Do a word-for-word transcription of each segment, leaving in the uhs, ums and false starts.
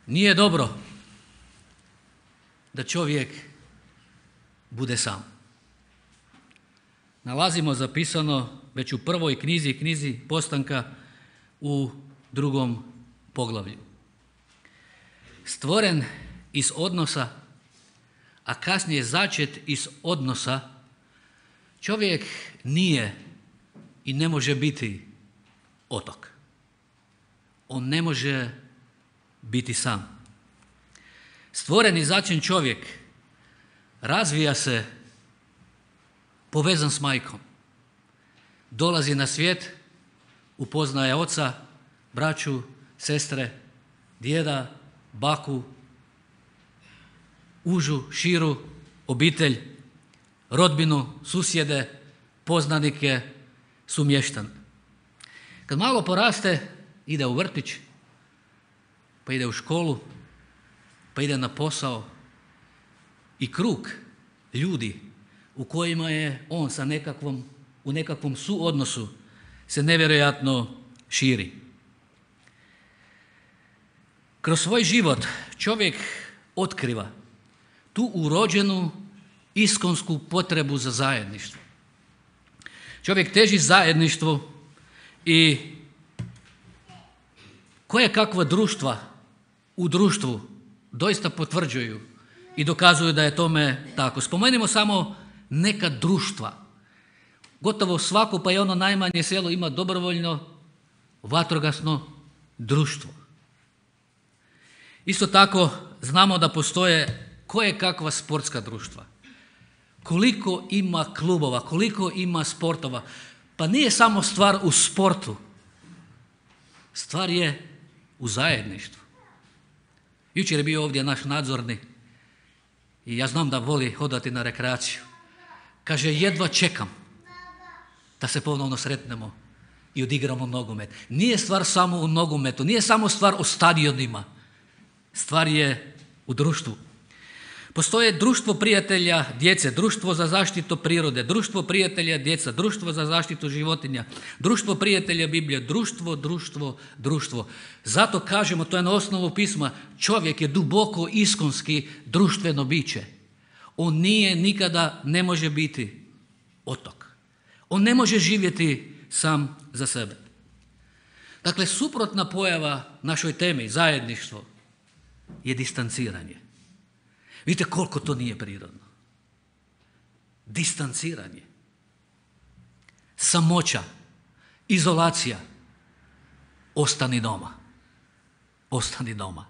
Nije dobro da čovjek bude sam. Nalazimo zapisano već u prvoj knjizi, knjizi Postanka u drugom poglavlju. Stvoren iz odnosa, a kasnije začet iz odnosa, čovjek nije i ne može biti otok. On ne može biti sam. Stvoren i začet čovjek razvija se povezan s majkom. Dolazi na svijet, upoznaje oca, braću, sestre, djeda, baku, užu, širu obitelj, rodbinu, susjede, poznanike, sumještan. Kad malo poraste, ide u vrtić, pa ide u školu, pa ide na posao i krug ljudi u kojima je on sa nekakvom, u nekakvom suodnosu se nevjerojatno širi. Kroz svoj život čovjek otkriva tu urođenu iskonsku potrebu za zajedništvo. Čovjek teži zajedništvu i koje kakva društva u društvu doista potvrđuju i dokazuju da je tome tako. Spomenimo samo neka društva. Gotovo svako, pa i ono najmanje selo, ima dobrovoljno vatrogasno društvo. Isto tako znamo da postoje koje kakva sportska društva. Koliko ima klubova, koliko ima sportova. Pa nije samo stvar u sportu. Stvar je u zajedništvu. Jučer je bio ovdje naš nadzorni i ja znam da voli hodati na rekreaciju. Kaže, jedva čekam da se ponovno sretnemo i odigramo nogomet. Nije stvar samo u nogometu, nije samo stvar u stadionima. Stvar je u društvu. Postoje društvo prijatelja djece, društvo za zaštitu prirode, društvo prijatelja djeca, društvo za zaštitu životinja, društvo prijatelja Biblije, društvo, društvo, društvo. Zato kažemo, to je na osnovu pisma, čovjek je duboko iskonski društveno biće. On nije, nikada ne može biti otok. On ne može živjeti sam za sebe. Dakle, suprotna pojava našoj temi, zajedništvo, je distanciranje. Vidite koliko to nije prirodno. Distanciranje. Samoća. Izolacija. Ostani doma. Ostani doma.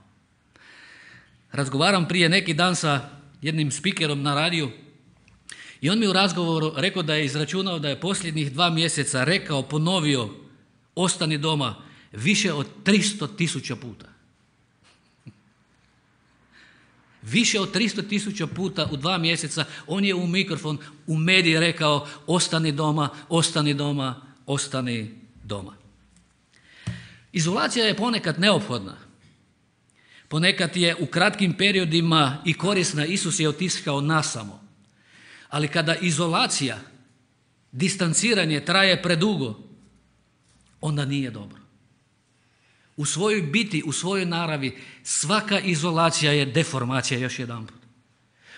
Razgovaram prije neki dan sa jednim spikerom na radiju i on mi u razgovoru rekao da je izračunao da je posljednjih dva mjeseca rekao, ponovio ostani doma više od tristo tisuća puta. Više od tristo tisuća puta u dva mjeseca on je u mikrofon, u mediji rekao ostani doma, ostani doma, ostani doma. Izolacija je ponekad neophodna. Ponekad je u kratkim periodima i korisna. Isus je otiskao nasamo. Ali kada izolacija, distanciranje traje predugo, onda nije dobro. U svojoj biti, u svojoj naravi, svaka izolacija je deformacija, još jedanput.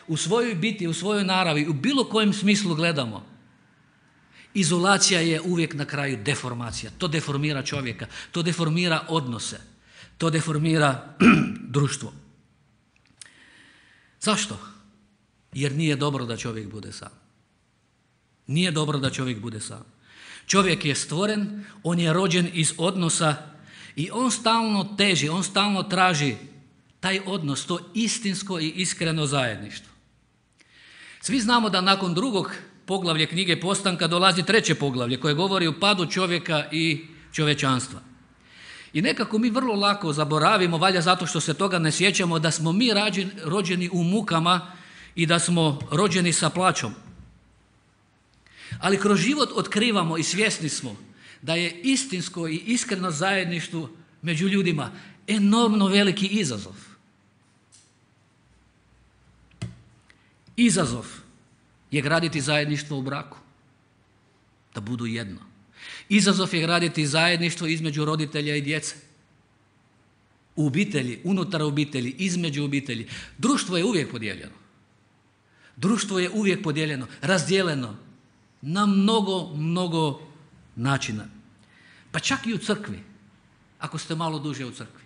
U svojoj biti, u svojoj naravi, u bilo kojem smislu gledamo, izolacija je uvijek na kraju deformacija. To deformira čovjeka, to deformira odnose, to deformira društvo. Zašto? Jer nije dobro da čovjek bude sam. Nije dobro da čovjek bude sam. Čovjek je stvoren, on je rođen iz odnosa i on stalno teži, on stalno traži taj odnos, to istinsko i iskreno zajedništvo. Svi znamo da nakon drugog poglavlja knjige Postanka dolazi treće poglavlje koje govori o padu čovjeka i čovječanstva. I nekako mi vrlo lako zaboravimo, valjda zato što se toga ne sjećamo, da smo mi rođeni u mukama i da smo rođeni sa plaćom. Ali kroz život otkrivamo i svjesni smo da je istinsko i iskreno zajedništvo među ljudima enormno veliki izazov. Izazov je graditi zajedništvo u braku, da budu jedno. Izazov je graditi zajedništvo između roditelja i djece. U obitelji, unutar obitelji, između obitelji. Društvo je uvijek podijeljeno. Društvo je uvijek podijeljeno, razdijeljeno na mnogo, mnogo načina. Pa čak i u crkvi, ako ste malo duže u crkvi.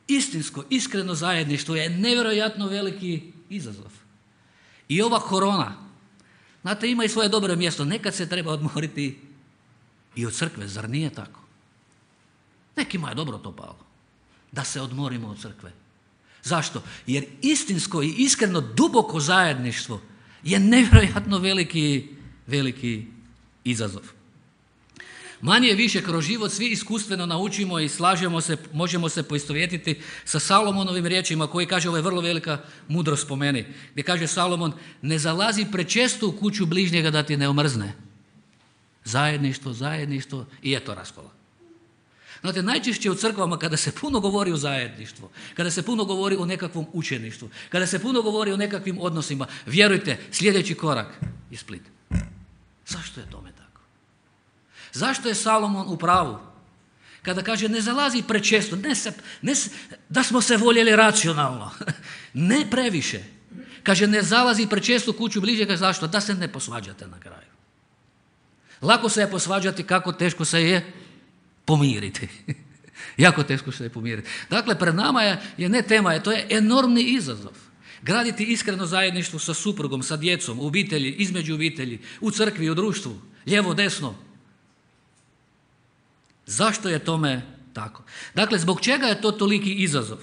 Istinsko, iskreno zajedništvo je nevjerojatno veliki izazov. I ova korona, znate, ima i svoje dobro mjesto. Nekad se treba odmoriti i od crkve, zar nije tako? Nekima je dobro to palo, da se odmorimo od crkve. Zašto? Jer istinsko i iskreno duboko zajedništvo je nevjerojatno veliki, veliki izazov. Manje više kroz život svi iskustveno naučimo i slažemo se, možemo se poistovjetiti sa Salomonovim riječima koji kaže, ovo je vrlo velika mudrost po meni, gdje kaže Salomon, ne zalazi prečesto u kuću bližnjega da ti ne omrzne. Zajedništvo, zajedništvo i eto raskola. Znate, najčešće u crkvama kada se puno govori o zajedništvu, kada se puno govori o nekakvom učeništvu, kada se puno govori o nekakvim odnosima, vjerujte, sljedeći korak je split. Zašto je tome tako? Zašto je Salomon u pravu? Kada kaže ne zalazi prečesto, ne se, ne se, da smo se voljeli racionalno, ne previše. Kaže ne zalazi prečesto u kuću bližnjega, zašto? Da se ne posvađate na kraju. Lako se je posvađati, kako teško se je pomiriti. Jako teško se je pomiriti. Dakle, pred nama je, je ne tema, je, to je enormni izazov. Graditi iskreno zajedništvo sa suprugom, sa djecom, u obitelji, između obitelji, u crkvi, u društvu, lijevo, desno. Zašto je tome tako? Dakle, zbog čega je to toliki izazov?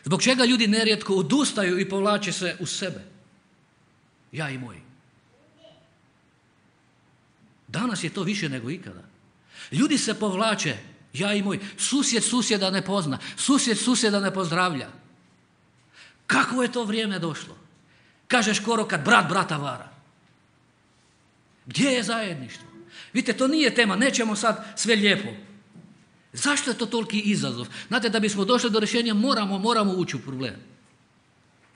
Zbog čega ljudi nerijetko odustaju i povlače se u sebe? Ja i moji. Danas je to više nego ikada. Ljudi se povlače, ja i moj. Susjed susjeda ne pozna, susjed susjeda ne pozdravlja. Kakvo je to vrijeme došlo? Kažeš skoro kad brat brata vara. Gdje je zajedništvo? Vidite, to nije tema, nećemo sad sve lijepo. Zašto je to toliki izazov? Znate, da bismo došli do rješenja moramo, moramo ući u problem.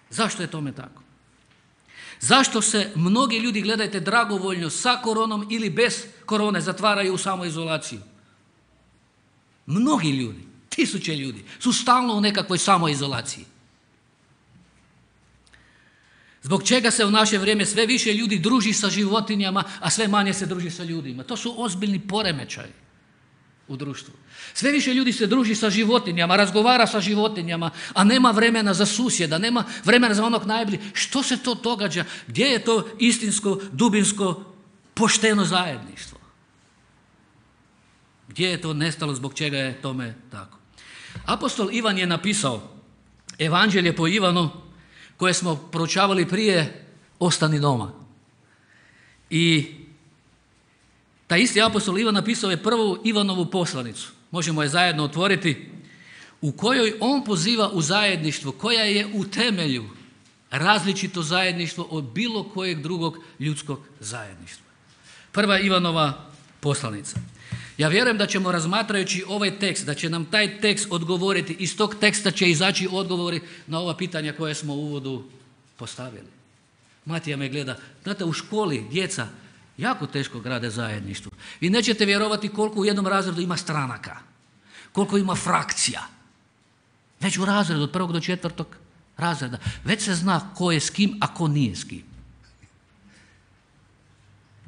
Zašto je tome tako? Zašto se mnogi ljudi, gledajte, dragovoljno sa koronom ili bez korone zatvaraju u samoizolaciju? Mnogi ljudi, tisuće ljudi su stalno u nekakvoj samoizolaciji. Zbog čega se u naše vrijeme sve više ljudi druži sa životinjama, a sve manje se druži sa ljudima? To su ozbiljni poremećaji u društvu. Sve više ljudi se druži sa životinjama, razgovara sa životinjama, a nema vremena za susjeda, nema vremena za onog najbližeg. Što se to događa? Gdje je to istinsko, dubinsko, pošteno zajedništvo? Gdje je to nestalo, zbog čega je tome tako? Apostol Ivan je napisao Evanđelje po Ivanu, koje smo proučavali prije, ostani doma. I taj isti apostol Ivan napisao je prvu Ivanovu poslanicu, možemo je zajedno otvoriti, u kojoj on poziva u zajedništvo, koja je u temelju različito zajedništvo od bilo kojeg drugog ljudskog zajedništva. Prva Ivanova poslanica. Ja vjerujem da ćemo, razmatrajući ovaj tekst, da će nam taj tekst odgovoriti, iz tog teksta će izaći odgovori na ova pitanja koje smo u uvodu postavili. Matija me gleda, znate, u školi djeca jako teško grade zajedništvo. Vi nećete vjerovati koliko u jednom razredu ima stranaka, koliko ima frakcija. Već u razredu, od prvog do četvrtog razreda, već se zna ko je s kim, a ko nije s kim.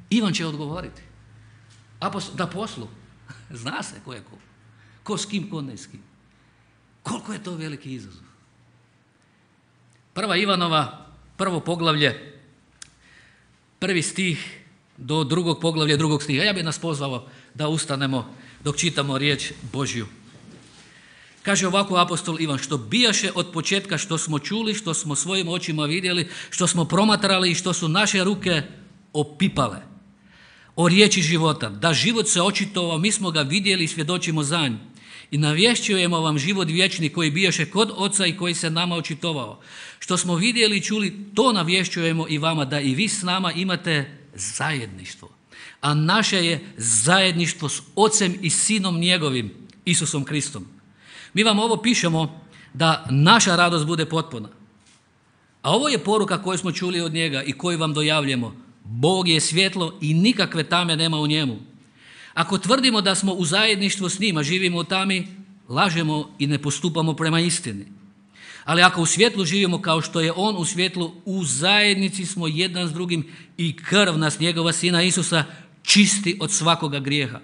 Ivan će odgovoriti. Da poslu, zna se ko je ko. Ko s kim, ko ne s kim. Koliko je to veliki izazov. Prva Ivanova, prvo poglavlje, prvi stih do drugog poglavlja, drugog stiha. Ja bih nas pozvao da ustanemo dok čitamo riječ Božju. Kaže ovako apostol Ivan, što bijaše od početka, što smo čuli, što smo svojim očima vidjeli, što smo promatrali i što su naše ruke opipale. O riječi života, da život se očitovao, mi smo ga vidjeli i svjedočimo za nj. I navješćujemo vam život vječni koji bijaše kod Oca i koji se nama očitovao. Što smo vidjeli i čuli, to navješćujemo i vama, da i vi s nama imate zajedništvo. A naše je zajedništvo s Ocem i Sinom njegovim, Isusom Kristom. Mi vam ovo pišemo da naša radost bude potpuna. A ovo je poruka koju smo čuli od njega i koju vam dojavljamo. Bog je svjetlo i nikakve tame nema u njemu. Ako tvrdimo da smo u zajedništvu s njima, živimo u tami, lažemo i ne postupamo prema istini. Ali ako u svjetlu živimo kao što je on u svjetlu, u zajednici smo jedan s drugim i krv nas njegova Sina Isusa čisti od svakoga grijeha.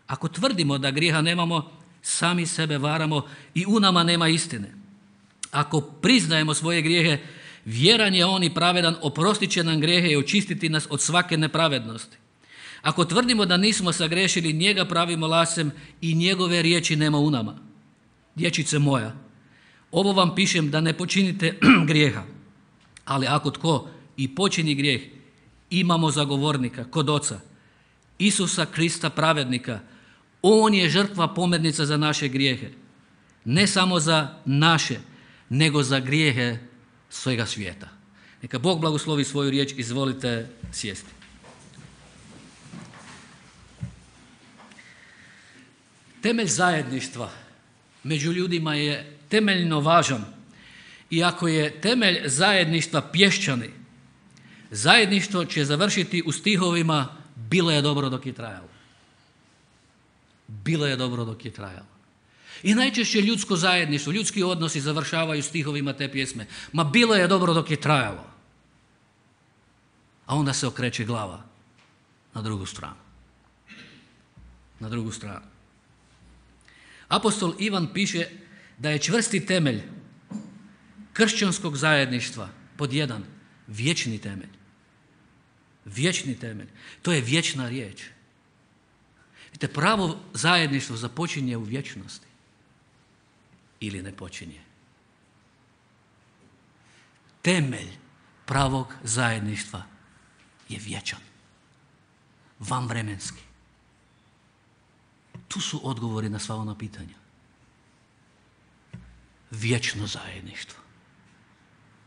Ako tvrdimo da grijeha nemamo, sami sebe varamo i u nama nema istine. Ako priznajemo svoje grijehe, vjeran je on i pravedan, oprostit će nam grijehe i očistiti nas od svake nepravednosti. Ako tvrdimo da nismo sagrešili, njega pravimo lasem i njegove riječi nema u nama. Dječice moja, ovo vam pišem da ne počinite grijeha, ali ako tko i počini grijeh, imamo zagovornika kod Oca, Isusa Krista pravednika. On je žrtva pomirnica za naše grijehe, ne samo za naše, nego za grijehe svega svijeta. Neka Bog blagoslovi svoju riječ, izvolite sjesti. Temelj zajedništva među ljudima je temeljno važan. Iako je temelj zajedništva pješčani, zajedništvo će završiti u stihovima bilo je dobro dok je trajalo. Bilo je dobro dok je trajalo. I najčešće ljudsko zajedništvo, ljudski odnosi završavaju stihovima te pjesme. Ma bilo je dobro dok je trajalo. A onda se okreće glava na drugu stranu. Na drugu stranu. Apostol Ivan piše da je čvrsti temelj kršćanskog zajedništva pod jedan vječni temelj. Vječni temelj. To je vječna riječ. Vidite, pravo zajedništvo započinje u vječnosti ili ne počinje. Temelj pravog zajedništva je vječan, vanvremenski. Tu su odgovori na sva ona pitanja. Vječno zajedništvo.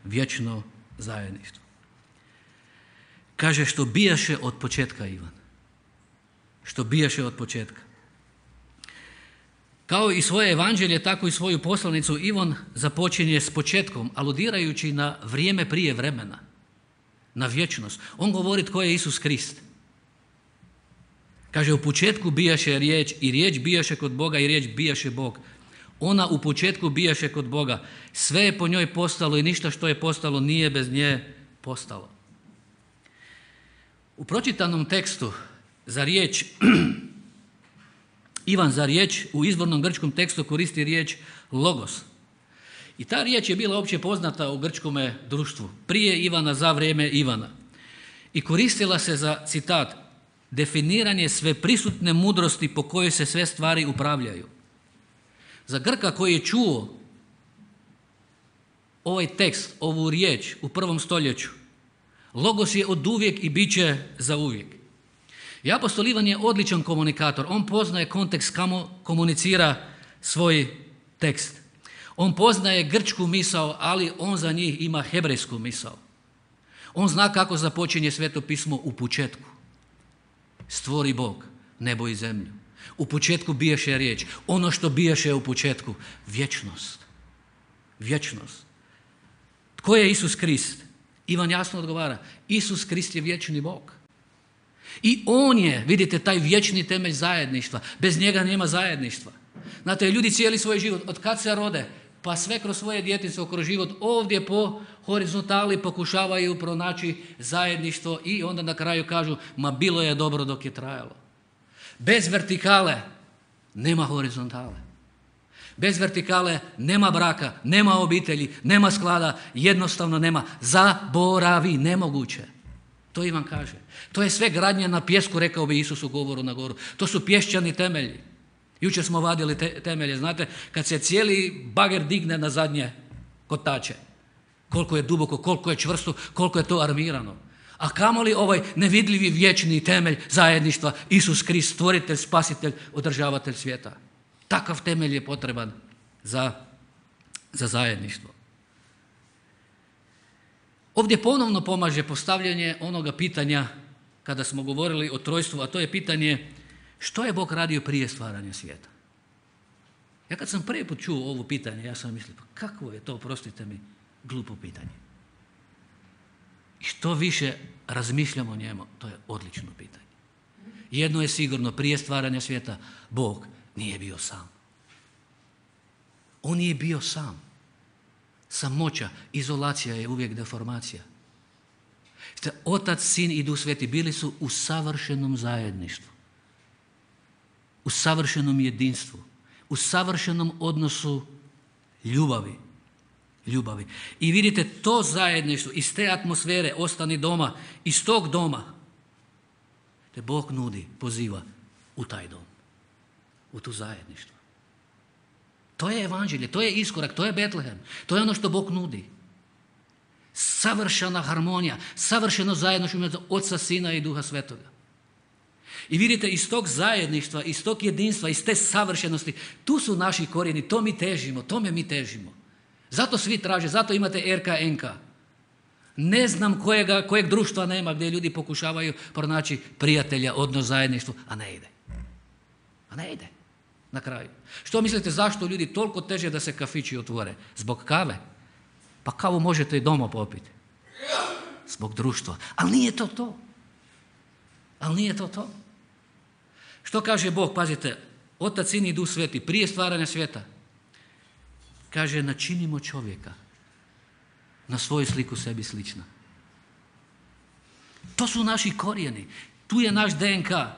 Vječno zajedništvo. Kaže što bijaše od početka, Ivan. Što bijaše od početka. Kao i svoje evanđelje, tako i svoju poslanicu Ivan započinje s početkom, aludirajući na vrijeme prije vremena, na vječnost. On govori tko je Isus Krist. Kaže, u početku bijaše riječ i riječ bijaše kod Boga i riječ bijaše Bog. Ona u početku bijaše kod Boga. Sve je po njoj postalo i ništa što je postalo nije bez nje postalo. U pročitanom tekstu za riječ, Ivan za riječ u izvornom grčkom tekstu koristi riječ logos. I ta riječ je bila opće poznata u grčkome društvu, prije Ivana, za vrijeme Ivana. I koristila se za, citat, definiranje sveprisutne mudrosti po kojoj se sve stvari upravljaju. Za Grka koji je čuo ovaj tekst, ovu riječ u prvom stoljeću, logos je oduvijek i bit će za uvijek. I apostol Ivan je odličan komunikator. On poznaje kontekst kamo komunicira svoj tekst. On poznaje grčku misao, ali on za njih ima hebrejsku misao. On zna kako započinje Sveto pismo u početku. Stvori Bog nebo i zemlju. U početku bijaše riječ. Ono što bijaše u početku, vječnost. Vječnost. Tko je Isus Krist? Ivan jasno odgovara, Isus Krist je vječni Bog. I on je, vidite, taj vječni temelj zajedništva. Bez njega nema zajedništva. Znate, ljudi cijeli svoj život, od kad se rode, pa sve kroz svoje djetinjstvo, kroz život, ovdje po horizontali pokušavaju pronaći zajedništvo i onda na kraju kažu, ma bilo je dobro dok je trajalo. Bez vertikale nema horizontale. Bez vertikale nema braka, nema obitelji, nema sklada, jednostavno nema. Zaboravi, nemoguće. To Ivan kaže. To je sve gradnja na pjesku, rekao bi Isus u govoru na goru. To su pješčani temelji. Jučer smo vadili te, temelje, znate, kad se cijeli bager digne na zadnje kotače. Koliko je duboko, koliko je čvrsto, koliko je to armirano. A kamoli ovaj nevidljivi vječni temelj zajedništva, Isus Krist, stvoritelj, spasitelj, održavatelj svijeta. Takav temelj je potreban za, za zajedništvo. Ovdje ponovno pomaže postavljanje onoga pitanja kada smo govorili o trojstvu, a to je pitanje što je Bog radio prije stvaranja svijeta. Ja kad sam prvi put čuo ovo pitanje, ja sam mislio, pa kakvo je to, oprostite mi, glupo pitanje. I što više razmišljamo o njemu, to je odlično pitanje. Jedno je sigurno, prije stvaranja svijeta Bog nije bio sam. On je bio sam. Samoća, izolacija je uvijek deformacija. Otac, Sin i Duh Sveti bili su u savršenom zajedništvu, u savršenom jedinstvu, u savršenom odnosu ljubavi. Ljubavi. I vidite, to zajedništvo, iz te atmosfere, ostani doma, iz tog doma, te Bog nudi, poziva u taj dom, u tu zajedništvo. To je evanđelje, to je iskorak, to je Betlehem, to je ono što Bog nudi. Savršena harmonija, savršeno zajedništvo Oca, Sina i Duha Svetoga. I vidite, iz tog zajedništva, iz tog jedinstva, iz te savršenosti, tu su naši korijeni, to mi težimo, tome mi težimo. Zato svi traže, zato imate er ka en ka. Ne znam kojega, kojeg društva nema gdje ljudi pokušavaju pronaći prijatelja, odnos, zajedništvo, a ne ide. A ne ide. Na kraju. Što mislite, zašto ljudi toliko teže da se kafići otvore? Zbog kave? Pa kavu možete i doma popiti. Zbog društva. Ali nije to to. Ali nije to to. Što kaže Bog? Pazite, Otac, Sin i Duh Sveti, prije stvaranja svijeta, kaže, načinimo čovjeka na svoju sliku sebi slična. To su naši korijeni. Tu je naš de en ka.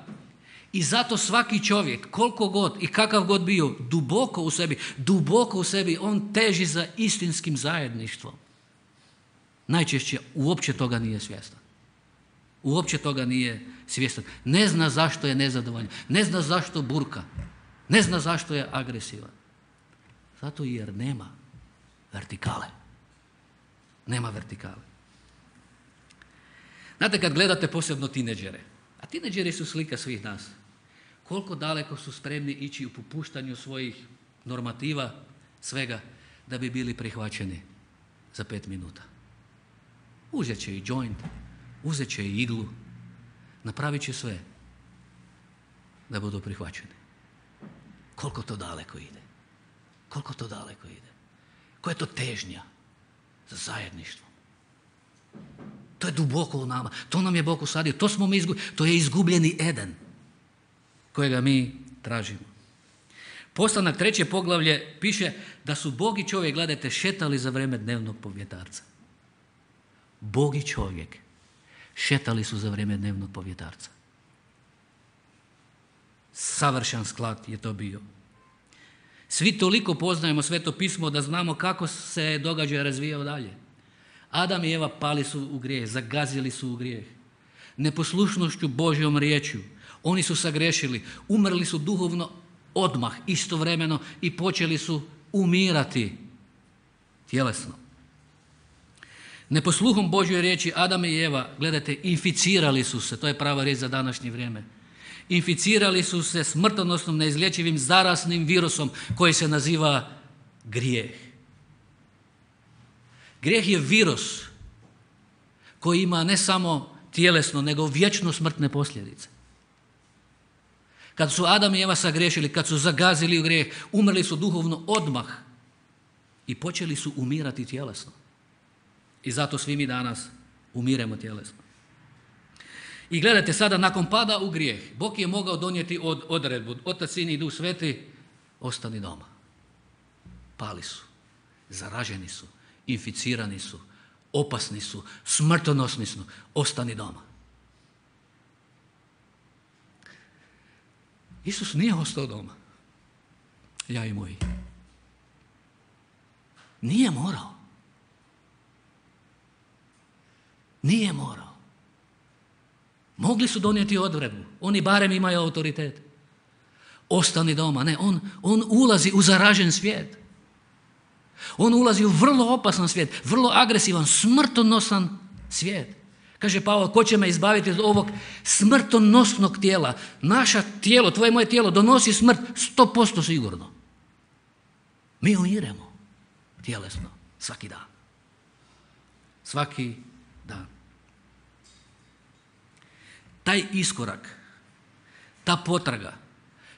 I zato svaki čovjek, koliko god i kakav god bio, duboko u sebi, duboko u sebi, on teži za istinskim zajedništvom. Najčešće uopće toga nije svjestan. Uopće toga nije svjestan. Ne zna zašto je nezadovoljan. Ne zna zašto burka. Ne zna zašto je agresivan. Zato jer nema vertikale. Nema vertikale. Znate, kad gledate posebno tineđere, a tineđeri su slika svih nas, koliko daleko su spremni ići u popuštanju svojih normativa, svega, da bi bili prihvaćeni za pet minuta. Uzet će i joint, uzet će i iglu, napravit će sve da budu prihvaćeni. Koliko to daleko ide? Koliko to daleko ide? Koja je to težnja za zajedništvom? To je duboko u nama. To nam je Bog usadio. To smo mi izgubili. To je izgubljeni Eden kojega mi tražimo. Postanak treće poglavlje piše da su Bog i čovjek, gledajte, šetali za vrijeme dnevnog povjetarca. Bog i čovjek šetali su za vrijeme dnevnog povjetarca. Savršen sklad je to bio. Svi toliko poznajemo Sveto pismo da znamo kako se događaj razvijao dalje. Adam i Eva pali su u grijeh, zagazili su u grijeh. Neposlušnošću Božjom riječju. Oni su sagrešili, umrli su duhovno odmah, istovremeno, i počeli su umirati tjelesno. Neposluhom Božjoj riječi Adam i Eva, gledajte, inficirali su se, to je prava riječ za današnje vrijeme. Inficirali su se smrtonosnom, neizlječivim, zaraznim virusom koji se naziva grijeh. Grijeh je virus koji ima ne samo tjelesno, nego vječno smrtne posljedice. Kad su Adam i Eva sagriješili, kad su zagazili u grijeh, umrli su duhovno odmah i počeli su umirati tjelesno. I zato svi mi danas umiremo tjelesno. I gledajte, sada nakon pada u grijeh, Bog je mogao donijeti od, odredbu, Otac, Sin i Duh Sveti, ostani doma. Pali su, zaraženi su, inficirani su, opasni su, smrtonosni su, ostani doma. Isus nije ostao doma. Ja i moji. Nije morao. Nije morao. Mogli su donijeti odredbu. Oni barem imaju autoritet. Ostani doma. Ne, on, on ulazi u zaražen svijet. On ulazi u vrlo opasan svijet, vrlo agresivan, smrtonosan svijet. Kaže Pavao, ko će me izbaviti od ovog smrtonosnog tijela? Naše tijelo, tvoje moje tijelo donosi smrt sto posto sigurno. Mi umiremo tjelesno svaki dan. Svaki dan. Taj iskorak, ta potraga,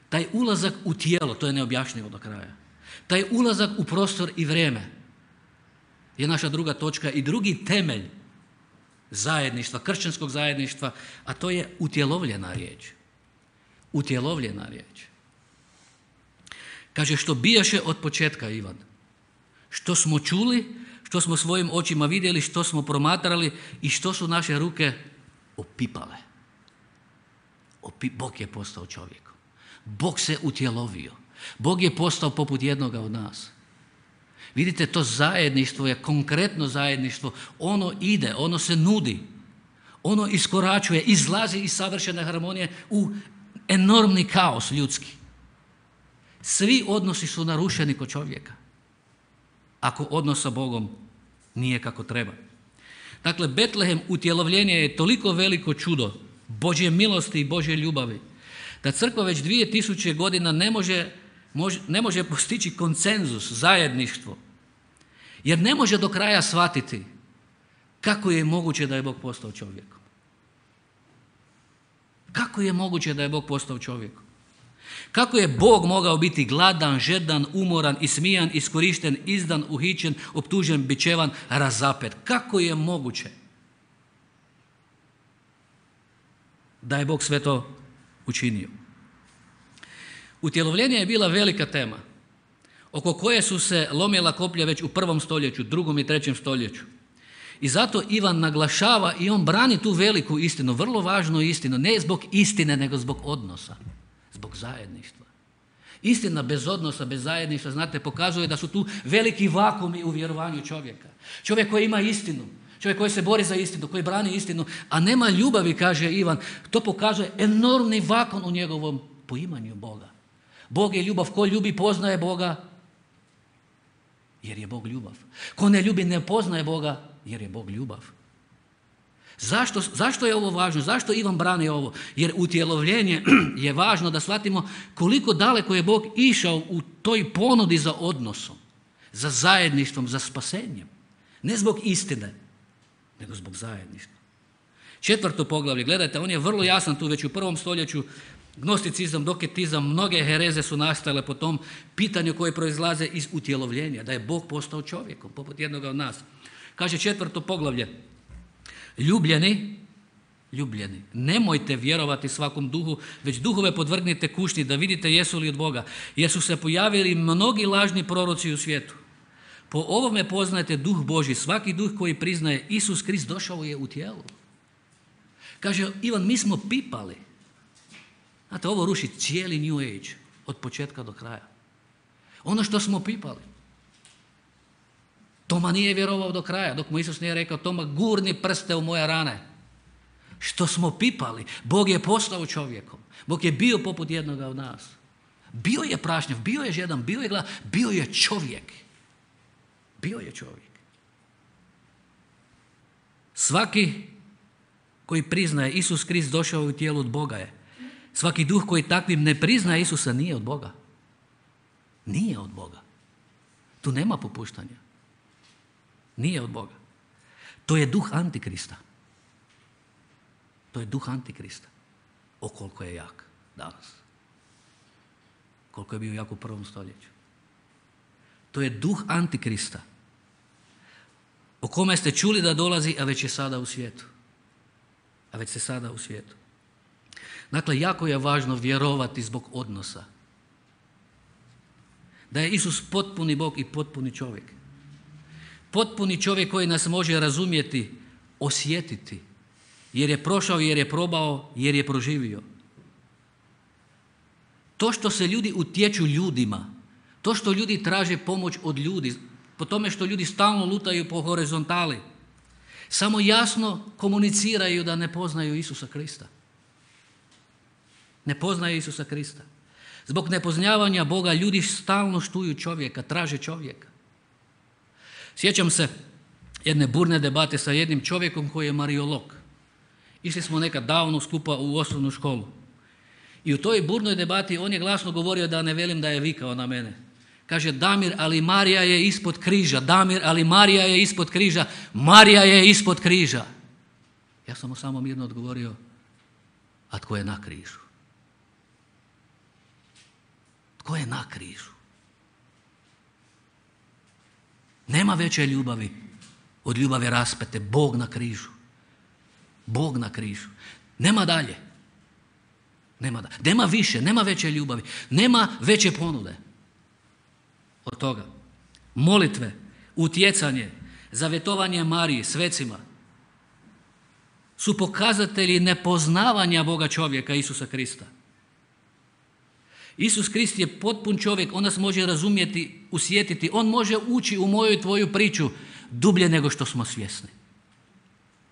taj ulazak u tijelo, to je neobjašnjivo do kraja. Taj ulazak u prostor i vrijeme je naša druga točka i drugi temelj zajedništva, kršćanskog zajedništva, a to je utjelovljena riječ. Utjelovljena riječ. Kaže, što bijaše od početka, Ivan. Što smo čuli, što smo svojim očima vidjeli, što smo promatrali i što su naše ruke opipale. Opi, Bog je postao čovjekom. Bog se utjelovio. Bog je postao poput jednoga od nas. Vidite, to zajedništvo je konkretno zajedništvo. Ono ide, ono se nudi. Ono iskoračuje, izlazi iz savršene harmonije u enormni kaos ljudski. Svi odnosi su narušeni kod čovjeka. Ako odnos sa Bogom nije kako treba. Dakle, Betlehem, utjelovljenje je toliko veliko čudo Božje milosti i Božje ljubavi, da crkva već dvije tisuće godina ne može, može, ne može postići konsenzus, zajedništvo, jer ne može do kraja shvatiti kako je moguće da je Bog postao čovjekom. Kako je moguće da je Bog postao čovjekom? Kako je Bog mogao biti gladan, žedan, umoran, ismijan, iskorišten, izdan, uhićen, optužen, bičevan, razapet? Kako je moguće da je Bog sve to učinio? Utjelovljenje je bila velika tema oko koje su se lomila koplja već u prvom stoljeću, drugom i trećem stoljeću. I zato Ivan naglašava i on brani tu veliku istinu, vrlo važnu istinu, ne zbog istine, nego zbog odnosa, zbog zajedništva. Istina bez odnosa, bez zajedništva, znate, pokazuje da su tu veliki vakumi u vjerovanju čovjeka. Čovjek koji ima istinu, čovjek koji se bori za istinu, koji brani istinu, a nema ljubavi, kaže Ivan, to pokazuje enormni vakuum u njegovom poimanju Boga. Bog je ljubav, ko ljubi poznaje Boga, jer je Bog ljubav. Ko ne ljubi ne poznaje Boga, jer je Bog ljubav. Zašto, zašto je ovo važno? Zašto Ivan brani ovo? Jer utjelovljenje je važno da shvatimo koliko daleko je Bog išao u toj ponudi za odnosom, za zajedništvom, za spasenjem. Ne zbog istine, nego zbog zajedništva. Četvrto poglavlje, gledajte, on je vrlo jasan tu već u prvom stoljeću. Gnosticizam, doketizam, mnoge hereze su nastale po tom pitanju koje proizlaze iz utjelovljenja, da je Bog postao čovjekom, poput jednoga od nas. Kaže četvrto poglavlje, ljubljeni, ljubljeni, nemojte vjerovati svakom duhu, već duhove podvrgnite kušnji da vidite jesu li od Boga, jer su se pojavili mnogi lažni proroci u svijetu. Po ovome poznajete duh Božji, svaki duh koji priznaje Isus Krist došao je u tijelu. Kaže Ivan, mi smo pipali. Znate, ovo ruši cijeli New Age, od početka do kraja. Ono što smo pipali. Toma nije vjerovao do kraja, dok mu Isus nije rekao, Toma, gurni prste u moje rane. Što smo pipali, Bog je postao čovjekom. Bog je bio poput jednoga od nas. Bio je prašnjav, bio je žedan, bio je gladan, bio je čovjek. Bio je čovjek. Svaki koji priznaje Isus Krist došao u tijelu od Boga je. Svaki duh koji takvim ne priznaje Isusa nije od Boga. Nije od Boga. Tu nema popuštanja. Nije od Boga. To je duh Antikrista. To je duh Antikrista. O koliko je jak danas. Koliko je bio jak u prvom stoljeću. To je duh Antikrista. O kome ste čuli da dolazi, a već je sada u svijetu. A već se sada u svijetu. Dakle, jako je važno vjerovati zbog odnosa. Da je Isus potpuni Bog i potpuni čovjek. Potpuni čovjek koji nas može razumjeti, osjetiti, jer je prošao, jer je probao, jer je proživio. To što se ljudi utječu ljudima, to što ljudi traže pomoć od ljudi, po tome što ljudi stalno lutaju po horizontali, samo jasno komuniciraju da ne poznaju Isusa Krista. Ne poznaju Isusa Krista. Zbog nepoznavanja Boga ljudi stalno štuju čovjeka, traže čovjeka. Sjećam se jedne burne debate sa jednim čovjekom koji je mariolog. Išli smo nekad davno skupa u osnovnu školu. I u toj burnoj debati on je glasno govorio, da ne velim da je vikao na mene. Kaže, Damir, ali Marija je ispod križa. Damir, ali Marija je ispod križa. Marija je ispod križa. Ja sam mu samo mirno odgovorio, a tko je na križu? Tko je na križu? Nema veće ljubavi od ljubave raspete. Bog na križu. Bog na križu. Nema dalje. Nema, da. nema više, nema veće ljubavi. Nema veće ponude od toga. molitve, utjecanje, zavjetovanje Mariji, svecima su pokazatelji nepoznavanja Boga čovjeka Isusa Krista. Isus Krist je potpun čovjek, on nas može razumjeti, usjetiti, on može ući u moju i tvoju priču dublje nego što smo svjesni.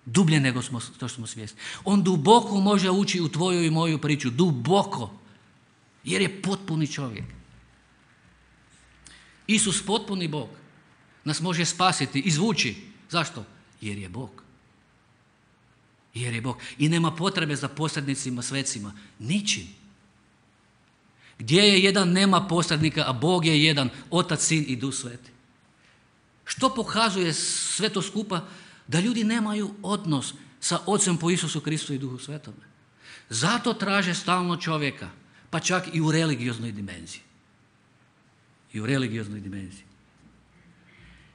Dublje nego smo, što smo svjesni. On duboko može ući u tvoju i moju priču, duboko, jer je potpuni čovjek. Isus, potpuni Bog, nas može spasiti, izvući. Zašto? Jer je Bog. Jer je Bog. I nema potrebe za posrednicima, svecima. Ničim. Gdje je jedan, nema posrednika, a Bog je jedan, Otac, Sin i Duh Sveti. Što pokazuje sve to skupa? Da ljudi nemaju odnos sa Ocem po Isusu Kristu i Duhu Svetome. Zato traže stalno čovjeka, pa čak i u religioznoj dimenziji. I u religioznoj dimenziji.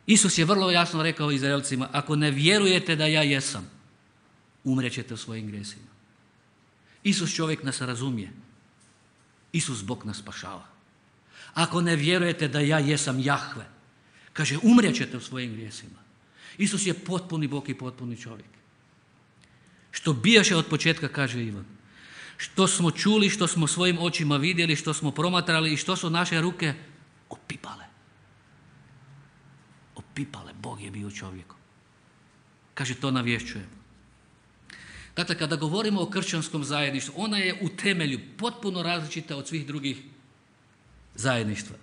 Isus je vrlo jasno rekao Izraelcima, ako ne vjerujete da ja jesam, umrećete u svojim grijesima. Isus čovjek nas razumije. Isus Bog nas spašava. Ako ne vjerujete da ja jesam Jahve, kaže, umrećete u svojim grijesima. Isus je potpuni Bog i potpuni čovjek. Što bijaše od početka, kaže Ivan. Što smo čuli, što smo svojim očima vidjeli, što smo promatrali i što su naše ruke opipale. Opipale. Bog je bio čovjekom. Kaže, to navješćujem. Dakle, kada govorimo o kršćanskom zajedništvu, ona je u temelju potpuno različita od svih drugih zajedništva.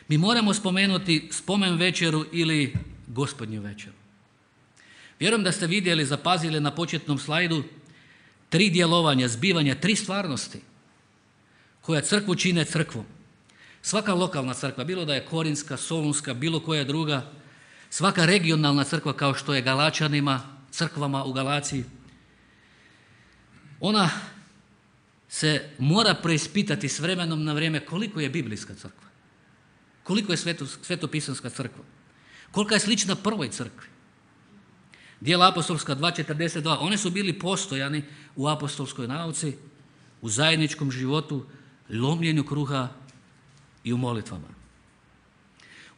Mi moramo spomenuti spomen večeru ili gospodnju večeru. Vjerujem da ste vidjeli, zapazili na početnom slajdu tri djelovanja, zbivanja, tri stvarnosti koja crkvu čine crkvom. Svaka lokalna crkva, bilo da je Korinska, Solunska, bilo koja druga, svaka regionalna crkva kao što je Galačanima, crkvama u Galaciji, ona se mora preispitati s vremenom na vrijeme koliko je biblijska crkva, koliko je sveto, svetopisanska crkva, kolika je slična prvoj crkvi. Djela apostolska dva četrdeset dva, one su bili postojani u apostolskoj nauci, u zajedničkom životu, lomljenju kruha i u molitvama.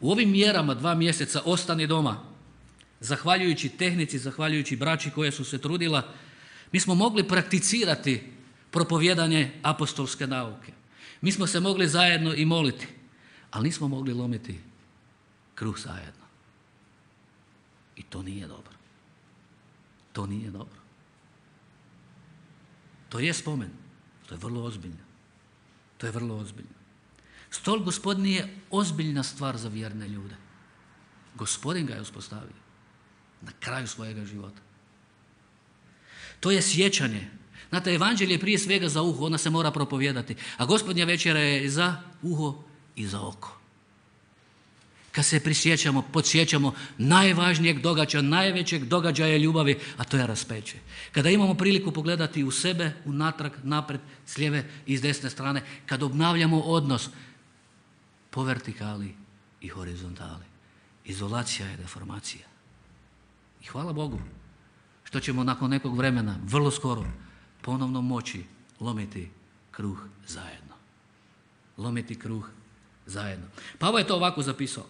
U ovim mjerama dva mjeseca ostani doma, zahvaljujući tehnici, zahvaljujući braći koja su se trudila, mi smo mogli prakticirati propovijedanje apostolske nauke. Mi smo se mogli zajedno i moliti, ali nismo mogli lomiti kruh zajedno. I to nije dobro. To nije dobro. To je spomen. To je vrlo ozbiljno. To je vrlo ozbiljno. Stol Gospodnji je ozbiljna stvar za vjerne ljude. Gospodin ga je uspostavio na kraju svojega života. To je sjećanje. Znate, evanđelje je prije svega za uho, ona se mora propovijedati. A gospodnja večera je za uho i za oko. Kad se prisjećamo, podsjećamo najvažnijeg događaja, najvećeg događaja ljubavi, a to je raspeće. Kada imamo priliku pogledati u sebe, unatrag, napred, s lijeve i s desne strane, kad obnavljamo odnos po vertikali i horizontali. Izolacija je deformacija. I hvala Bogu što ćemo nakon nekog vremena, vrlo skoro, ponovno moći lomiti kruh zajedno. Lomiti kruh zajedno. Pavao je to ovako zapisao.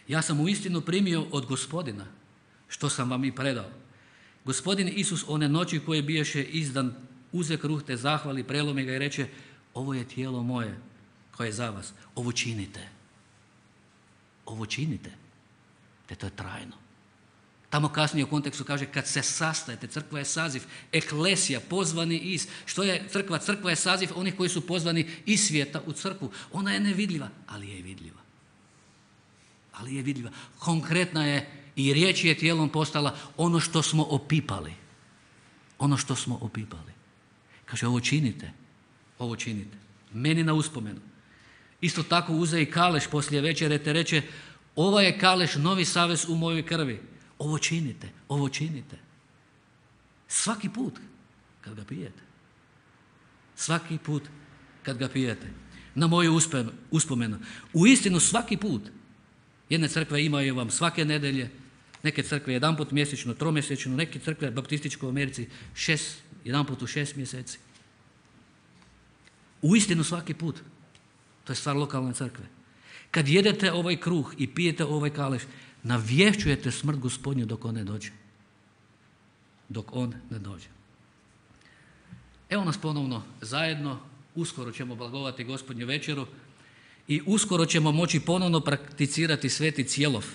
Ja sam uistinu primio od Gospodina što sam vam i predao. Gospodin Isus one noći koje biješe izdan, uze kruh te zahvali, prelome ga i reče, ovo je tijelo moje koje je za vas. Ovo činite. Ovo činite. Te to je trajno. Tamo kasnije u kontekstu kaže kad se sastajete, crkva je saziv, eklesija, pozvani iz. Što je crkva? Crkva je saziv onih koji su pozvani iz svijeta u crkvu. Ona je nevidljiva, ali je vidljiva. Ali je vidljiva. Konkretna je i riječ je tijelom postala ono što smo opipali. Ono što smo opipali. Kaže ovo činite, ovo činite. Meni na uspomenu. Isto tako uze i kaleš poslije večere te reče ovo je kaleš novi savez u mojoj krvi. Ovo činite, ovo činite. Svaki put kad ga pijete. Svaki put kad ga pijete. Na moju uspomenu. U istinu svaki put. Jedne crkve imaju vam svake nedelje, neke crkve jedan put mjesečno, tromjesečno, neke crkve baptističke u Americi šest, jedan put u šest mjeseci. U istinu svaki put. To je stvar lokalne crkve. Kad jedete ovaj kruh i pijete ovaj kaleš, navješćujete smrt Gospodnju dok on ne dođe. Dok on ne dođe. Evo nas ponovno zajedno, uskoro ćemo blagovati Gospodnju večeru i uskoro ćemo moći ponovno prakticirati sveti cjelov,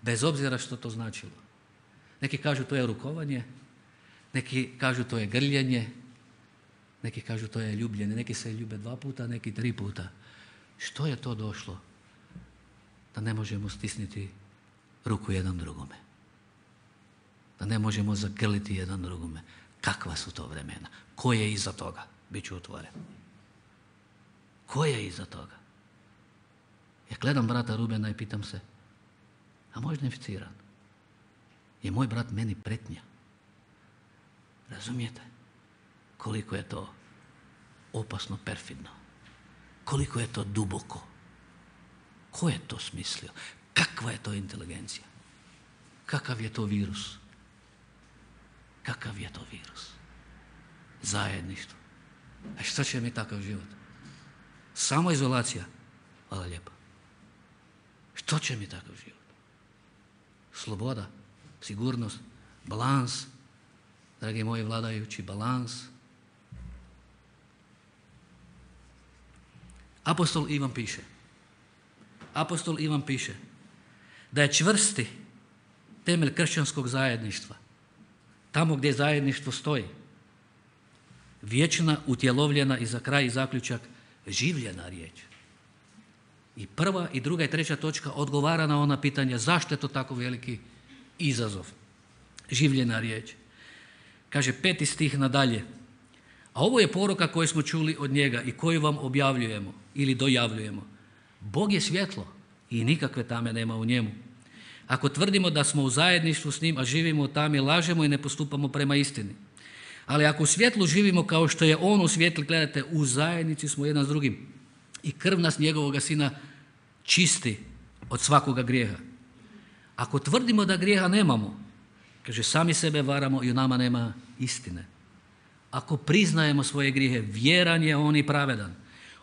bez obzira što to značilo. Neki kažu to je rukovanje, neki kažu to je grljenje, neki kažu to je ljubljenje, neki se ljube dva puta, neki tri puta. Što je to došlo da ne možemo stisniti ruku jedan drugome? Da ne možemo zagrliti jedan drugome? Kakva su to vremena? Ko je iza toga? Biću otvoren. Ko je iza toga? Ja gledam brata Rubena i pitam se, a možda inficiran? Je moj brat meni pretnja? Razumijete? Koliko je to opasno perfidno? Koliko je to duboko? Ko je to smislio? Kakva je to inteligencija? Kakav je to virus? Kakav je to virus? Zajedništvo. A što će mi takav život? Samo izolacija? Hvala lijepa. Što će mi takav život? Sloboda, sigurnost, balans, dragi moji vladajući, balans. Apostol Ivan piše, apostol Ivan piše da je čvrsti temelj kršćanskog zajedništva, tamo gdje zajedništvo stoji, vječna, utjelovljena i za kraj i zaključak življena riječ. I prva i druga i treća točka odgovara na ona pitanja zašto je to tako veliki izazov. Življena riječ. Kaže peti stih nadalje. A ovo je poruka koju smo čuli od njega i koju vam objavljujemo ili dojavljujemo. Bog je svjetlo i nikakve tame nema u njemu. Ako tvrdimo da smo u zajedništvu s njim, a živimo u tami, lažemo i ne postupamo prema istini. Ali ako u svjetlu živimo kao što je on u svjetlu, gledajte, u zajednici smo jedan s drugim. I krv nas njegovoga sina čisti od svakoga grijeha. Ako tvrdimo da grijeha nemamo, kaže, sami sebe varamo i u nama nema istine. Ako priznajemo svoje grijehe, vjeran je on i pravedan.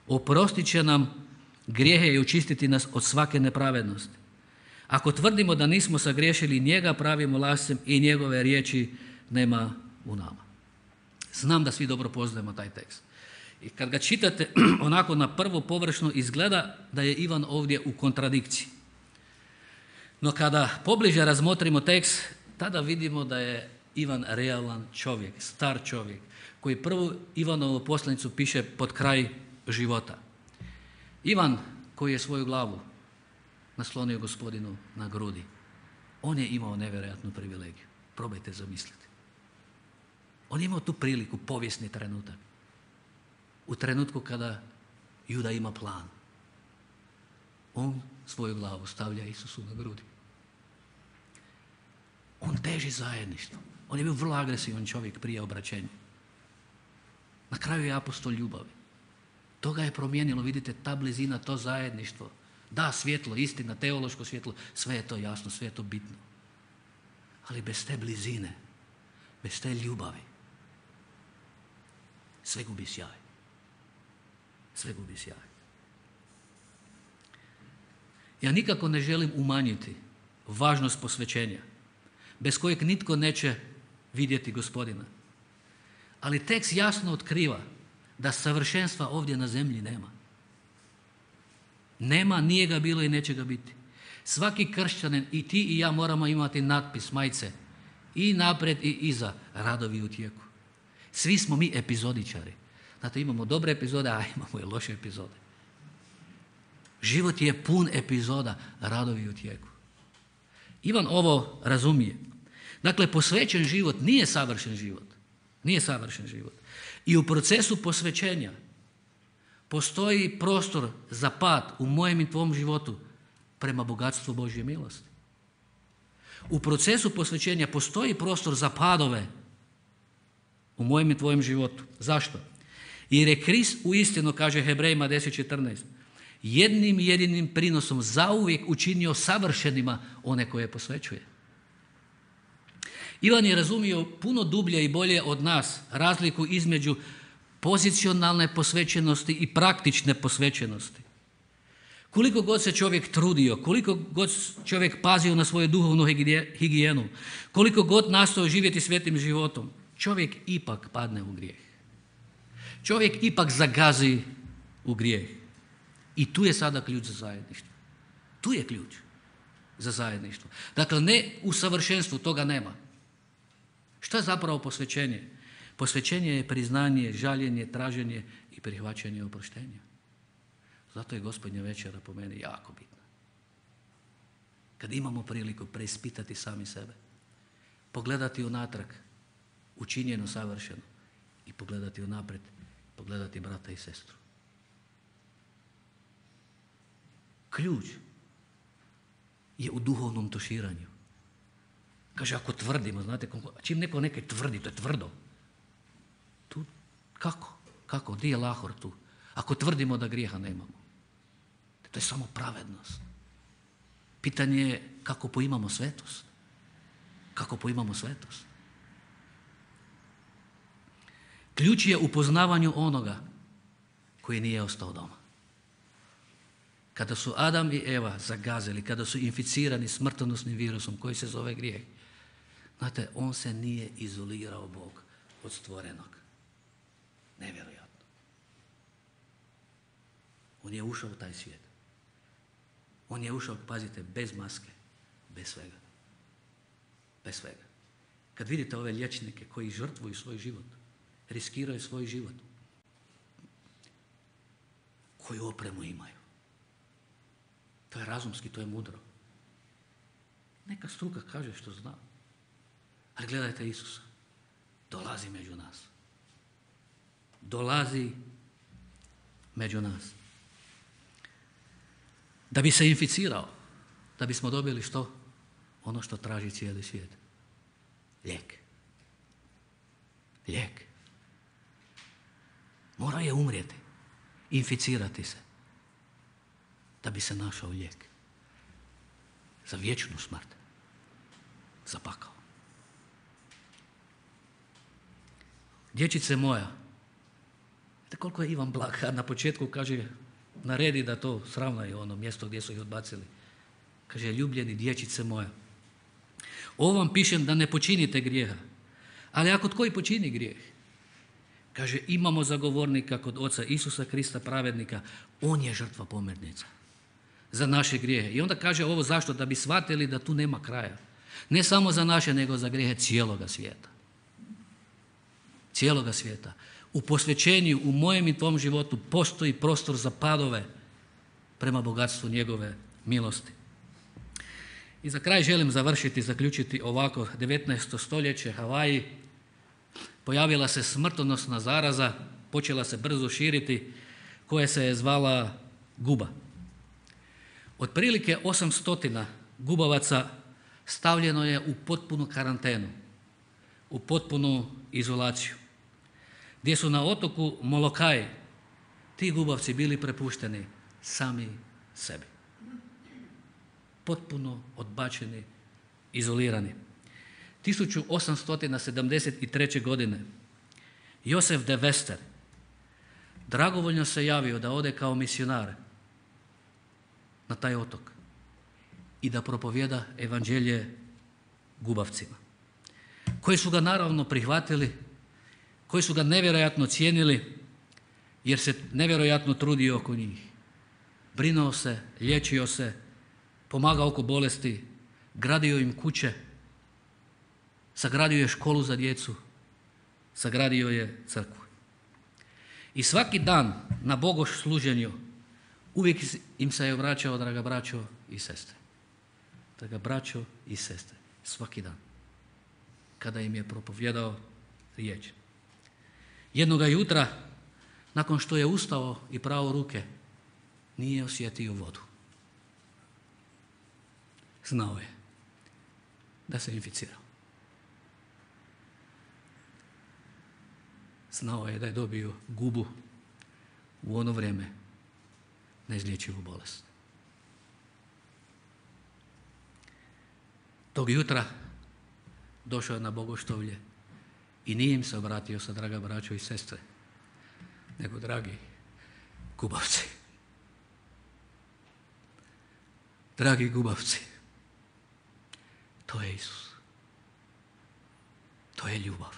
Oprostit će nam grijehe i očistiti nas od svake nepravednosti. Ako tvrdimo da nismo sagriješili, njega pravimo lascem i njegove riječi nema u nama. Znam da svi dobro poznajemo taj tekst. I kad ga čitate, onako na prvo površno izgleda da je Ivan ovdje u kontradikciji. No kada pobliže razmotrimo tekst, tada vidimo da je Ivan realan čovjek, star čovjek, koji prvu Ivanovu poslanicu piše pod kraj života. Ivan koji je svoju glavu naslonio Gospodinu na grudi, on je imao nevjerojatnu privilegiju. Probajte zamisliti. On je imao tu priliku, povijesni trenutak. U trenutku kada Juda ima plan. On svoju glavu stavlja Isusu na grudi. On teži zajedništvo. On je bio vrlo agresivan čovjek prije obraćenja. Na kraju je apostol ljubavi. To ga je promijenilo, vidite, ta blizina, to zajedništvo. Da, svjetlo, istina, teološko svjetlo, sve je to jasno, sve je to bitno. Ali bez te blizine, bez te ljubavi, sve gubi sjaj. Sve gubi sjaj. Ja nikako ne želim umanjiti važnost posvećenja, bez kojeg nitko neće vidjeti Gospodina. Ali tekst jasno otkriva da savršenstva ovdje na zemlji nema. Nema, nije ga bilo i neće ga biti. Svaki kršćanin, i ti i ja, moramo imati natpis, majice, i naprijed i iza, radovi u tijeku. Svi smo mi epizodičari. Znate, imamo dobre epizode, a imamo i loše epizode. Život je pun epizoda, radovi u tijeku. Ivan ovo razumije. Dakle, posvećen život nije savršen život. Nije savršen život. I u procesu posvećenja postoji prostor za pad u mojem i tvom životu prema bogatstvu Božje milosti. U procesu posvećenja postoji prostor za padove u mojem i tvojem životu. Zašto? Jer je Krist uistinu, kaže Hebrejima deset četrnaest, jednim jedinim prinosom zauvijek učinio savršenima one koje posvećuje. Ivan je razumio puno dublje i bolje od nas razliku između pozicionalne posvećenosti i praktične posvećenosti. Koliko god se čovjek trudio, koliko god čovjek pazio na svoju duhovnu higijenu, koliko god nastojao živjeti svetim životom, čovjek ipak padne u grijeh. Čovjek ipak zagazi u grijeh. I tu je sada ključ za zajedništvo. Tu je ključ za zajedništvo. Dakle, ne u savršenstvu, toga nema. Što je zapravo posvećenje? Posvećenje je priznanje, žaljenje, traženje i prihvaćanje oproštenja. Zato je Gospodnja večera po meni jako bitna. Kad imamo priliku preispitati sami sebe, pogledati unatrag, učinjeno, savršeno, i pogledati unaprijed, pogledati brata i sestru. Ključ je u duhovnom tuširanju. Kaže, ako tvrdimo, znate, čim neko nekaj tvrdi, to je tvrdo. Tu, kako? Kako? Gdje je lahor tu? Ako tvrdimo da grijeha nemamo. To je samo pravednost. Pitanje je kako poimamo svetost. Kako poimamo svetost. Ključ je u poznavanju onoga koji nije ostao doma. Kada su Adam i Eva zagazili, kada su inficirani smrtonosnim virusom koji se zove grijeh, znate, on se nije izolirao Bog od stvorenog. Nevjerojatno. On je ušao u taj svijet. On je ušao, pazite, bez maske, bez svega. Bez svega. Kad vidite ove liječnike koji žrtvuju svoj život, riskiraju svoj život, koju opremu imaju. To je razumski, to je mudro. Neka struka kaže što zna. Ali gledajte Isusa. Dolazi među nas. Dolazi među nas. Da bi se inficirao, da bismo dobili što? Ono što traži cijeli svijet. Lijek. Lijek. Mora je umrijeti, inficirati se, da bi se našao lijek. Za vječnu smrt. Za pakao. Dječice moja, vidite koliko je Ivan blag, na početku kaže, naredi da to sravnaju ono mjesto gdje su ih odbacili. Kaže, ljubljeni dječice moja, ovo vam pišem da ne počinite grijeha. Ali ako tko i počini grijeh, kaže, imamo zagovornika kod Oca Isusa Krista pravednika, on je žrtva pomirnica za naše grijehe. I onda kaže ovo zašto? Da bi shvatili da tu nema kraja. Ne samo za naše, nego za grijehe cijeloga svijeta. Cijeloga svijeta. U posvećenju, u mojem i tvom životu postoji prostor za padove prema bogatstvu njegove milosti. I za kraj želim završiti, zaključiti ovako. devetnaesto stoljeće, Havaji, pojavila se smrtonosna zaraza, počela se brzo širiti, koja se je zvala guba. Otprilike osamsto gubavaca stavljeno je u potpunu karantenu, u potpunu izolaciju, gdje su na otoku Molokai ti gubavci bili prepušteni sami sebi. Potpuno odbačeni, izolirani. tisuću osamsto sedamdeset treće. godine Josef de Vester dragovoljno se javio da ode kao misionar na taj otok i da propovjeda evanđelje gubavcima, koji su ga naravno prihvatili, koji su ga nevjerojatno cijenili jer se nevjerojatno trudio oko njih. Brinuo se, liječio se, pomagao oko bolesti, gradio im kuće, sagradio je školu za djecu, sagradio je crkvu. I svaki dan na bogosluženju uvijek im se je vraćao, draga braćo i sestre. Draga braćo i sestre, svaki dan. Kada im je propovjedao riječ. Jednoga jutra, nakon što je ustao i prao ruke, nije osjetio vodu. Znao je da se inficirao. Znao je da je dobio gubu u ono vrijeme, neizlječivu bolest. Tog jutra došao je na bogoštovlje i nije im se obratio sa draga braćo i sestre, nego dragi gubavci. Dragi gubavci, to je Isus. To je ljubav.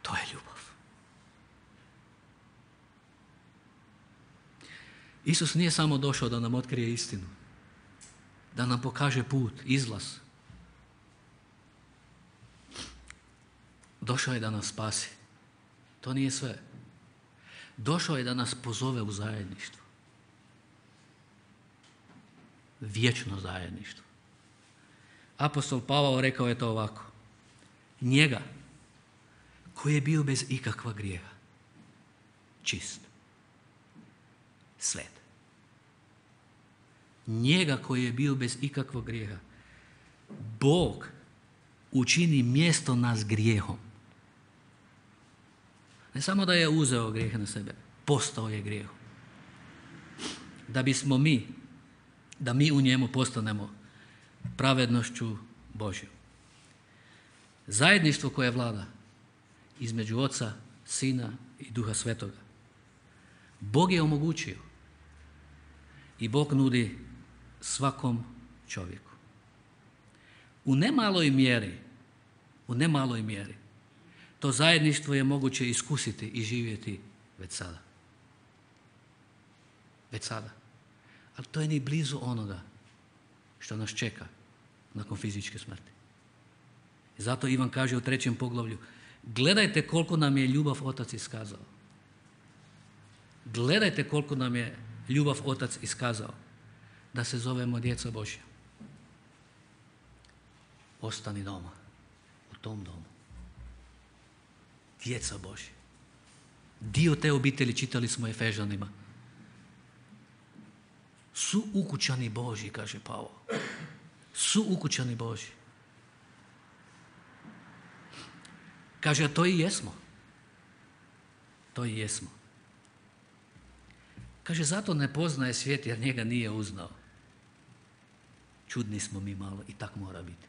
To je ljubav. Isus nije samo došao da nam otkrije istinu, da nam pokaže put, izlaz. Došao je da nas spasi. To nije sve. Došao je da nas pozove u zajedništvo. Vječno zajedništvo. Apostol Pavao rekao je to ovako. Njega koji je bio bez ikakva grijeha, čist, svet. Njega koji je bio bez ikakvog grijeha, Bog učini mjesto nas grijehom. Ne samo da je uzeo grijeh na sebe, postao je grijehom. Da bismo mi, da mi u njemu postanemo pravednošću Božjom. Zajedništvo koje vlada između Oca, Sina i Duha Svetoga. Bog je omogućio i Bog nudi svakom čovjeku. U nemaloj mjeri, u nemaloj mjeri, to zajedništvo je moguće iskusiti i živjeti već sada. Već sada. Ali to je ni blizu onoga što nas čeka nakon fizičke smrti. I zato Ivan kaže u trećem poglavlju, gledajte koliko nam je ljubav Otac iskazao. Gledajte koliko nam je ljubav Otac iskazao da se zovemo djeca Božja. Ostani doma, u tom domu. Djeca Božja. Dio te obitelji, čitali smo Efežanima, su ukućani Božji, kaže Pavao. Su ukućani Božji. Kaže, a to i jesmo. To i jesmo. Kaže, zato ne poznaje svijet jer njega nije uznao. Čudni smo mi malo i tak mora biti.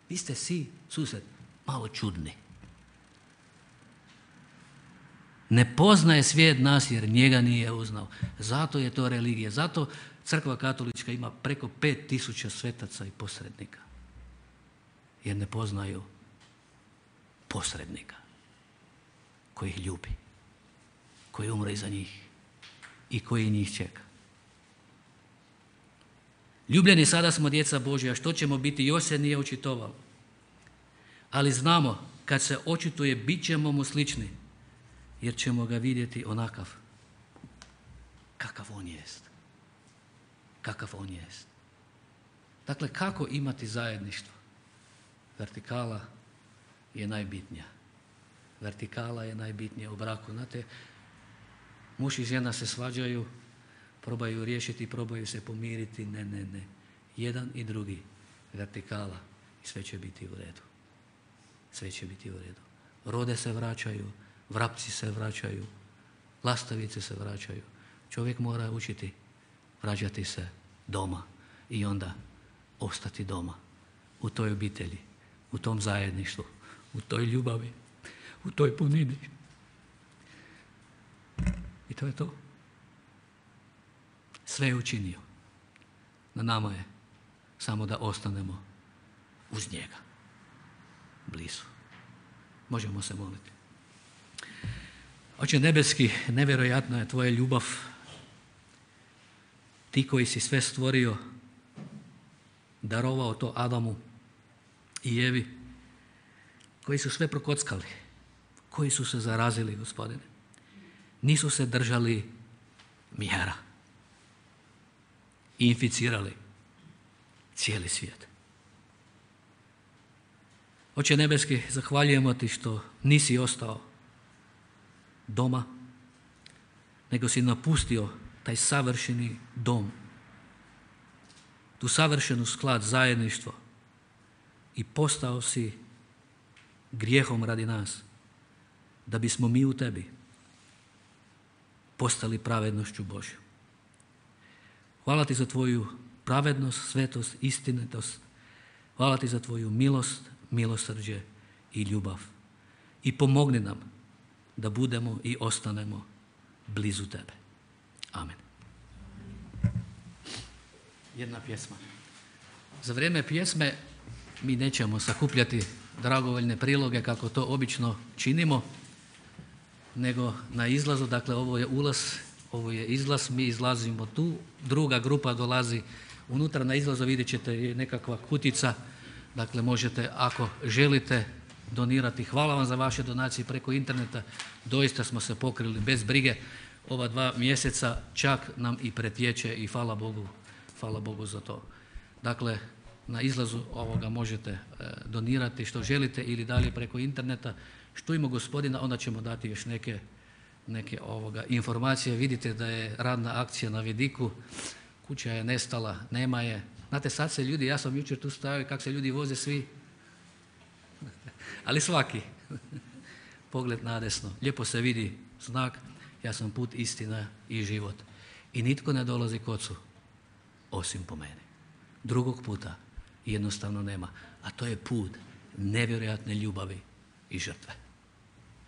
Vi ste svi, sused, malo čudni. Ne poznaje svijet nas jer njega nije uznao. Zato je to religija. Zato Crkva katolička ima preko pet tisuća svetaca i posrednika. Jer ne poznaju posrednika koji ih ljubi, koji umre iza njih i koji njih čeka. Ljubljeni, sada smo djeca Božja, što ćemo biti još se nije očitovalo. Ali znamo, kad se očituje, bit ćemo mu slični, jer ćemo ga vidjeti onakav kakav on jest. Kakav on jest. Dakle, kako imati zajedništvo? Vertikala je najbitnija. Vertikala je najbitnija u braku. Znate, muž i žena se svađaju, probaju riješiti, probaju se pomiriti. Ne, ne, ne. Jedan i drugi. Vertikala. I sve će biti u redu. Sve će biti u redu. Rode se vraćaju, vrapci se vraćaju, lastavice se vraćaju. Čovjek mora učiti vraćati se doma i onda ostati doma. U toj obitelji, u tom zajedništvu, u toj ljubavi, u toj punini. I to je to. Sve je učinio. Na nama je samo da ostanemo uz njega. Blizu. Možemo se moliti. Oče nebeski, nevjerojatna je tvoja ljubav. Ti koji si sve stvorio, darovao to Adamu i Evi, koji su sve prokockali, koji su se zarazili, Gospodine. Nisu se držali mjera i inficirali cijeli svijet. Oče nebeski, zahvaljujemo ti što nisi ostao doma, nego si napustio taj savršeni dom, tu savršenu sklad, zajedništvo i postao si grijehom radi nas, da bismo mi u tebi postali pravednošću Božju. Hvala ti za tvoju pravednost, svetost, istinitost. Hvala ti za tvoju milost, milosrđe i ljubav. I pomogni nam da budemo i ostanemo blizu tebe. Amen. jedna pjesma. Za vrijeme pjesme mi nećemo sakupljati dragovoljne priloge kako to obično činimo, nego na izlazu, dakle ovo je ulaz, ovo je izlaz, mi izlazimo tu, druga grupa dolazi unutra, na izlazu vidjet ćete nekakva kutica, dakle možete ako želite donirati. Hvala vam za vaše donacije preko interneta, doista smo se pokrili bez brige, ova dva mjeseca čak nam i pretječe i hvala Bogu, hvala Bogu za to. Dakle, na izlazu ovoga možete e, donirati što želite ili dalje preko interneta. Što ima gospodina, onda ćemo dati još neke, neke ovoga informacije. Vidite da je radna akcija na vidiku, kuća je nestala, nema je. Znate, sad se ljudi, ja sam jučer tu stajao i kako se ljudi voze svi, ali svaki, pogled nadesno, lijepo se vidi znak, ja sam put, istina i život. I nitko ne dolazi k Ocu, osim po meni. Drugog puta jednostavno nema, a to je put nevjerojatne ljubavi i žrtve.